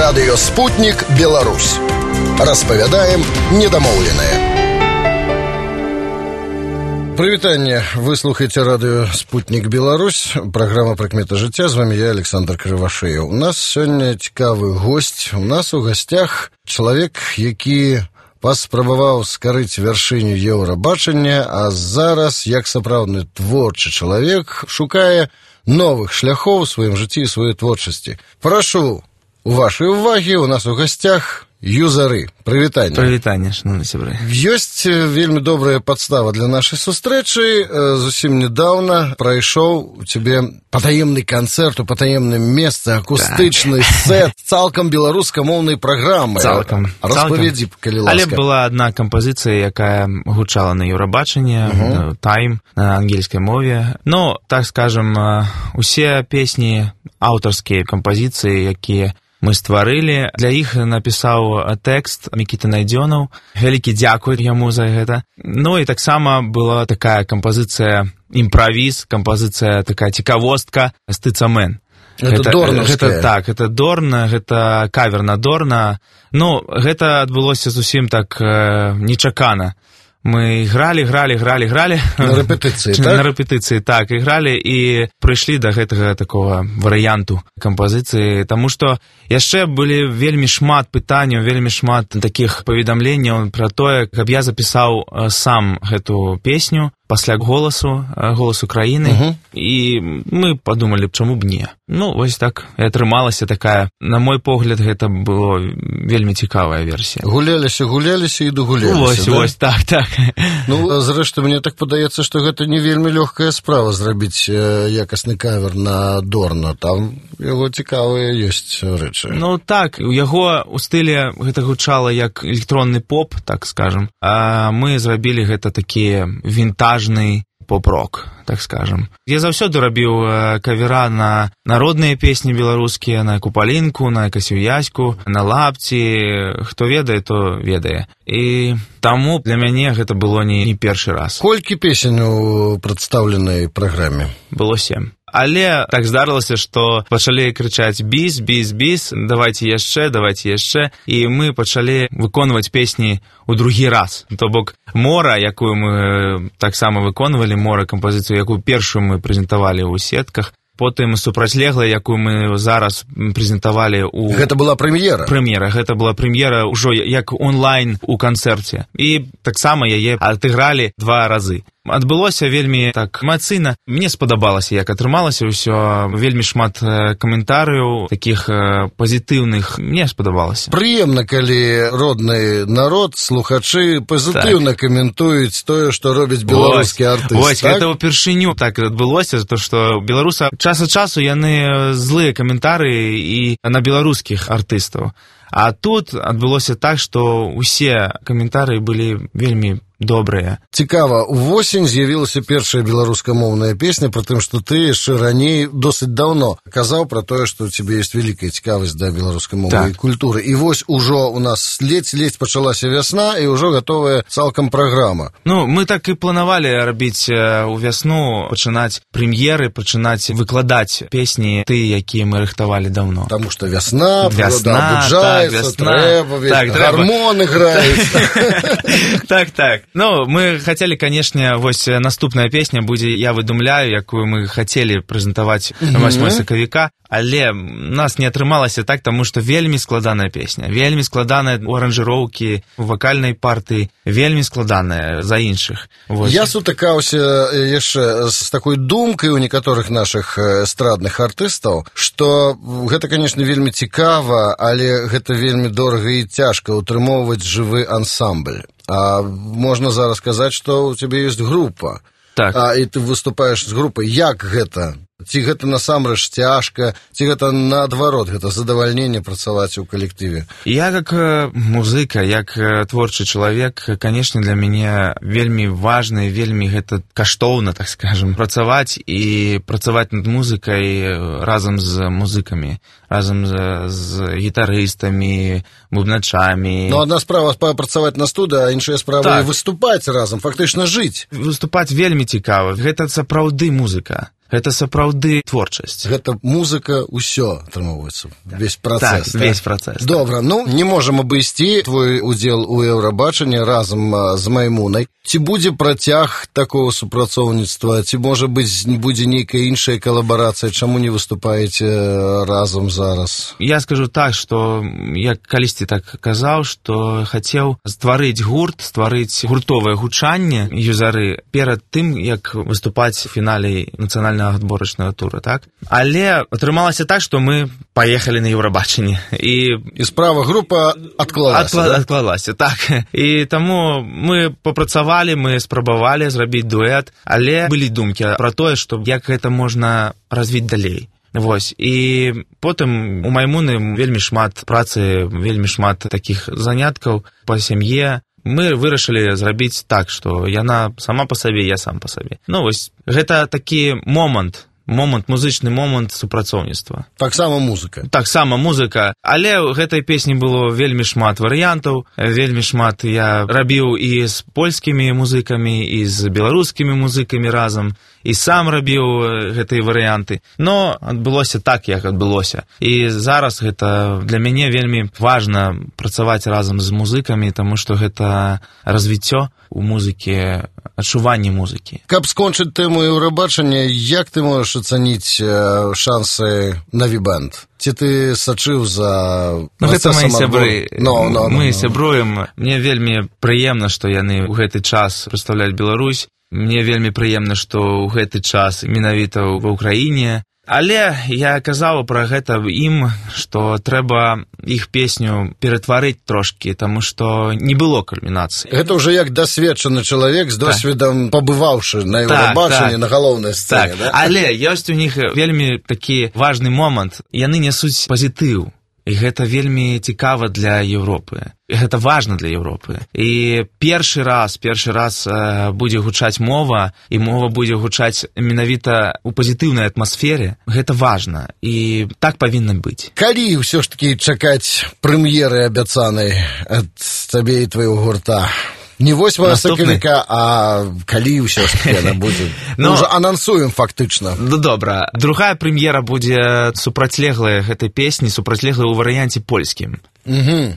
Радыё «Спутнік Беларусь». Распавядаем недамоўленае. Прывітанне, вы слухаеце радыё «Спутнік Беларусь», праграма «Прыкметы жыцця», з вамі я, Александр Крывашеў. У нас сёння цікавы госць. У нас у гасцях чалавек, які паспрабаваў скарыць вяршыню еўрабачання, а зараз, як сапраўдны творчы чалавек, шукае новых шляхоў у сваім жыцці і сваёй творчасці. Прашу у вашай увагі, у нас у гасцях Юзары. Прывітанне. Прывітанне, шановны сябры. Ёсць вельмі добрая падстава для нашай сустрэчы. Зусім недаўна прайшоў у цябе патаемны канцэрт у патаемным месцы, акустычны сет цалкам беларускамоўнай праграмы. Цалкам. Распавядзі, калі ласка. Але была адна кампазіцыя, якая гучала на Еўрабачанні, «Time» на ангельскай мове. Ну, так скажем, усе песні, аўтарскія кампазіцыі, якія мы стварылі. Для іх напісаў тэкст Мікіта Найдзёнаў. Вялікі дзякуй яму за гэта. Ну і таксама была такая кампазіцыя імправіз, кампазіцыя такая цікавостка «Стыцамен». Это дорнаўская. Это Дорн, гэта кавер на Дорна. Ну, гэта адбылося зусім так нечакана. Мы играли. На рэпетыцыі, так? На рэпетыцыі, так, играли і прыйшлі да гэтага такого варыянту кампазіцыі, таму што яшчэ былі вельмі шмат пытанняў, вельмі шмат такіх паведамленняў пра тое, каб я запісаў сам гэту песню пасля голасу краіны, і мы падумалі, чаму б не. Ну, вось так і атрымалася такая, на мой погляд, гэта было вельмі цікавая версія. Гуляліся і дагуляліся, Вось, так. Ну, зрэшты, мне так падаецца, што гэта не вельмі лёгкая справа зрабіць якасны кавер на Дорна. Там яго цікавыя ёсць рэчы. Ну, так, у яго у стылі гэта гучала як электронны поп, так скажем, а мы зрабілі гэта такі вінтажны поп-рок, так скажем. Я заўсёды рабіў кавера на народныя песні беларускія, на Купалінку, на Касюяську, на Лапці. Хто ведае, то ведае. І таму для мяне гэта было не першы раз. Колькі песень у прадстаўленай праграме? Было 7. Але так здарылася, што пачалі крычаць «Біс», давайце яшчэ, і мы пачалі выконваць песні ў другі раз. То бок «Мора», якую мы таксама выконвалі, «Мора» кампазіцыю, якую першую мы прэзентавалі ў сетках, потым «Супрацьлегла», якую мы зараз прэзентавалі ў... Гэта была прэм'ера? Гэта была прэм'ера ўжо як онлайн у канцэрце. І таксама яе адыгралі 2 разы. Адбылося вельмі так эмацыйна. Мне спадабалася, як атрымалася ўсё. Вельмі шмат каментарыяў, такіх пазітыўных. Мне спадабалася. Прыемна, калі родны народ, слухачы пазітыўна каментуюць тое, што робіць беларускі артыст. Вось, гэта ўпершыню так адбылося, то што беларусы час ад часу яны злыя каментарыі і на беларускіх артыстаў. А тут адбылося так, што ўсе каментарыі былі вельмі добрыя. Цікава, увосень з'явілася першая беларускамоўная песня, пры тым, што ты яшчэ раней досыць даўно казаў пра тое, што ў цябе ёсць вялікая цікавасць да беларускамоўнай культуры. І вось ужо у нас ледзь пачалася вясна, і ўжо гатовая цалкам праграма. Ну, мы так і планавалі рабіць у вясну, пачынаць прэм'еры, пачынаць выкладаць песні тыя, якія мы рыхтавалі даўно. Таму што вясна, прырода абуджаецца, трэба, гармоны граюць. Так. Ну, мы хотели, конечно, вось наступная песня будзе «Я выдумляю», якую мы хотели прэзентаваць 8 сакавіка, але нас не атрымалася так, таму што вельмі складаная песня, вельмі складаная у аранжыроўкі, у вакальнай партыі, вельмі складаная за іншых. Вось. Я сутыкаўся яшчэ з такой думкай у некаторых нашых эстрадных артыстаў, што гэта, конечно, вельмі цікава, але гэта вельмі дорага і цяжка утрымоўваць жывы ансамбль. А можна зараз сказаць, што ў цябе ёсць група. Так. І ты выступаеш з групай. Як гэта? Ці гэта насамрэч цяжка, ці гэта наадварот, гэта задавальненне працаваць у калектыве? Я как музыка, як творчы чалавек, конечно, для мяне вельмі важна, вельмі гэта каштоўна, так скажем, працаваць і працаваць над музыкай разам з музыкамі, разам з гітарыстамі, бубначамі. Ну, адна справа працаваць на студыі, а іншая справа выступаць разам, фактычна жыць. Выступаць вельмі цікава, гэта сапраўды музыка. гэта сапраўды творчасць. Гэта музыка, усё атрымоўваецца, весь працэс. Так, весь працэс. Добра, не можам абысці твой удзел у Еўрабачанні разам з Маймунай. Ці будзе працяг такого супрацоўніцтва, ці, можа быць, будзе нейкая іншая калабарацыя, чаму не выступаеце разам зараз? Я скажу так, што я калісьці так казаў, што хацеў стварыць гурт, стварыць гуртовае гучанне юзары перад тым, як выступаць у фінале нацыянальнага адборачнага тура, так? Але атрымалася так, што мы паехалі на Еўрабачанне. І справа група адклалася. Адклалася, так. І таму мы папрацавалі, мы спрабавалі зрабіць дуэт, але былі думкі пра тое, што як гэта можна развіць далей. Вось, і потым у Маймуны вельмі шмат працы, вельмі шмат такіх заняткаў па сям'е. Мы вырашылі зрабіць так, што яна сама па сабе, я сам па сабе. Вось, гэта такі момант, музычны момант супрацоўніцтва. Таксама музыка. Таксама музыка, але ў гэтай песні было вельмі шмат варыянтаў, вельмі шмат я рабіў і з польскімі музыкамі, і з беларускімі музыкамі разам, і сам рабіў гэтыя варыянты. Но адбылося так, як адбылося. І зараз гэта для мяне вельмі важна працаваць разам з музыкамі, таму што гэта развіццё у музыкі, адчуванне музыкі. Каб скончыць тэму Еўрабачання, як ты можаш ацаніць шансы на Вібэнд? Ці ты сачыў за гэта мои сябры. Мы No. сябруем. Мне вельмі прыемна, што яны ў гэты час прадстаўляюць Беларусь. Мне вельмі прыемна, што ў гэты час менавіта ва ўкраіне. Але я казаў пра гэта ім, што трэба іх песню ператварыць трошкі, таму што не было кульмінацыі. Гэта ўжо як дасведчаны чалавек з досведам, пабываўшы на Еўрабачанні, на галоўнай сцэне. Так, але ёсць у них вельмі такі важны момант. Яны нясуць пазітыў. І гэта вельмі цікава для Еўропы. І гэта важна для Еўропы. І першы раз будзе гучаць мова, і мова будзе гучаць менавіта ў пазітыўнай атмасфере. Гэта важна. І так павінна быць. Калі ўсё ж такі чакаць прэм'еры абяцанай ад цябе і твайго гурта? Не 8 сакавіка, а калі ўсё ж такі яна будзе? Мы ўжо анансуем фактычна. Добра. Другая прэм'ера будзе супрацьлеглая гэтай песні, супрацьлеглая ў варыянце польскім.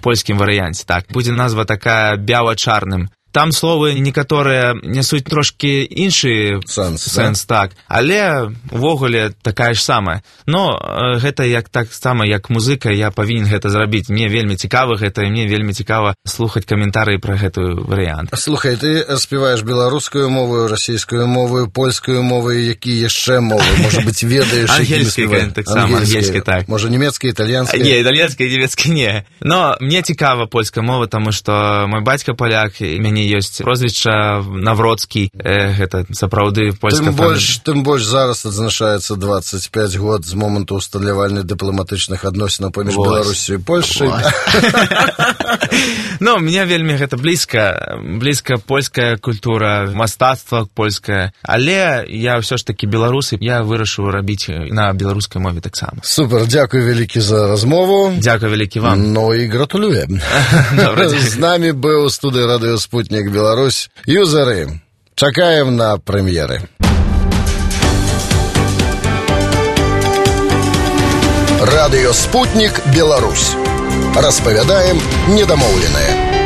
Польскім варыянце, так. Будзе назва такая «Бяла-чарным». Там словы некаторыя нясуць трошкі іншы сэнс, так. Але увогуле такая ж самая. Но гэта так само, як музыка, я павінен гэта зрабіць. Мне вельмі цікава гэта, і мне вельмі цікава слухаць каментарыі пра гэты варыянт. Слухай, ты спяваеш беларускую мову, расійскую мову, польскую мову, які яшчэ мовы? Можа быць, ведаеш, якімі спяваеш? Таксама, ангельская, так. Можа, нямецкая, італьянская? Не, італьянская, нямецкая, не. Но мне цікава польская мова, таму што мой бацька поляк, і мяне ёсць прозвішча Навроцкі, гэта сапраўды польская фамілія. Тым больш зараз адзначаецца 25 год з моманту усталявання дыпламатычных адносінаў паміж Беларусю і Польшай. Ну, мне вельмі гэта блізка польская культура, мастацтва польскае, але я ўсё ж такі беларус, і я вырашыў рабіць на беларускай мове таксама. Супер, дзякуй вялікі за размову. Дзякуй вялікі вам. Ну і гратулюем. З намі быў у студыі радыё «Спутнік Беларусь» юзары. Чакаем на прэм'еры. Радыё «Спутнік Беларусь». Распавядаем недамоўленае.